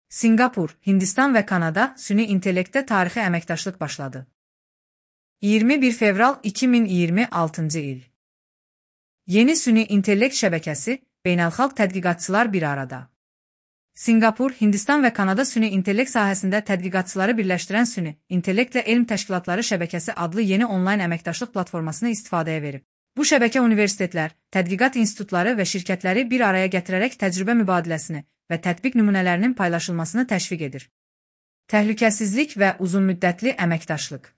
Singapur, Hindistan və Kanada süni intellektdə tarixi əməkdaşlıq başladı. 21 fevral 2026-cı il. Yeni süni intellekt şəbəkəsi, beynəlxalq tədqiqatçılar bir arada. Singapur, Hindistan və Kanada süni intellekt sahəsində tədqiqatçıları birləşdirən süni intellektlə elm təşkilatları şəbəkəsi adlı yeni onlayn əməkdaşlıq platformasını istifadəyə verib. Bu şəbəkə universitetlər, tədqiqat institutları və şirkətləri bir araya gətirərək təcrübə mübadiləsini və tətbiq nümunələrinin paylaşılmasını təşviq edir. Təhlükəsizlik və uzunmüddətli əməkdaşlıq.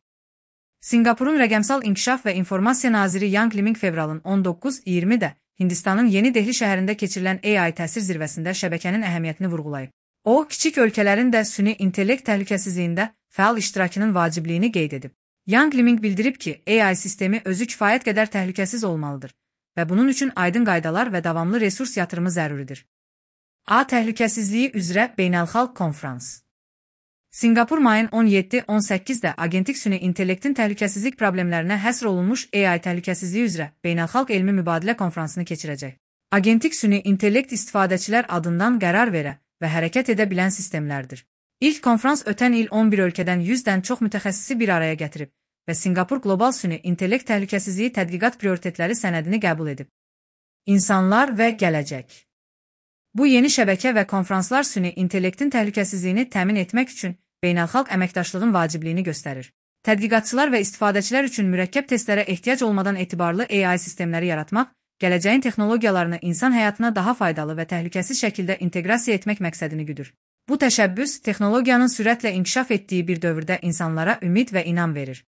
Singapurun rəqəmsal inkişaf və informasiya naziri Yang Liming fevralın 19-20-də Hindistanın Yeni Dehli şəhərində keçirilən AI təsir zirvəsində şəbəkənin əhəmiyyətini vurğulayıb. O, kiçik ölkələrin də süni intellekt təhlükəsizliyində fəal iştirakının vacibliyini qeyd edib. Yang Liming bildirib ki, AI sistemi özü kifayət qədər təhlükəsiz olmalıdır və bunun üçün aydın qaydalar və davamlı resurs yatırımı zəruridir. A. Təhlükəsizliyi üzrə beynəlxalq konfrans. Singapur mayın 17-18-də agentik süni intellektin təhlükəsizlik problemlərinə həsr olunmuş AI təhlükəsizliyi üzrə beynəlxalq elmi mübadilə konfransını keçirəcək. Agentik süni intellekt istifadəçilər adından qərar verə və hərəkət edə bilən sistemlərdir. İlk konfrans ötən il 11 ölkədən 100-dən çox mütəxəssisi bir araya gətirib və Singapur Qlobal Süni İntellekt Təhlükəsizliyi Tədqiqat Prioritetləri sənədini qəbul edib. İnsanlar və gələcək. Bu yeni şəbəkə və konfranslar süni intellektin təhlükəsizliyini təmin etmək üçün beynəlxalq əməkdaşlığın vacibliyini göstərir. Tədqiqatçılar və istifadəçilər üçün mürəkkəb testlərə ehtiyac olmadan etibarlı AI sistemləri yaratmaq, gələcəyin texnologiyalarını insan həyatına daha faydalı və təhlükəsiz şəkildə inteqrasiya etmək məqsədini güdür. Bu təşəbbüs, texnologiyanın sürətlə inkişaf etdiyi bir dövrdə insanlara ümid və inam verir.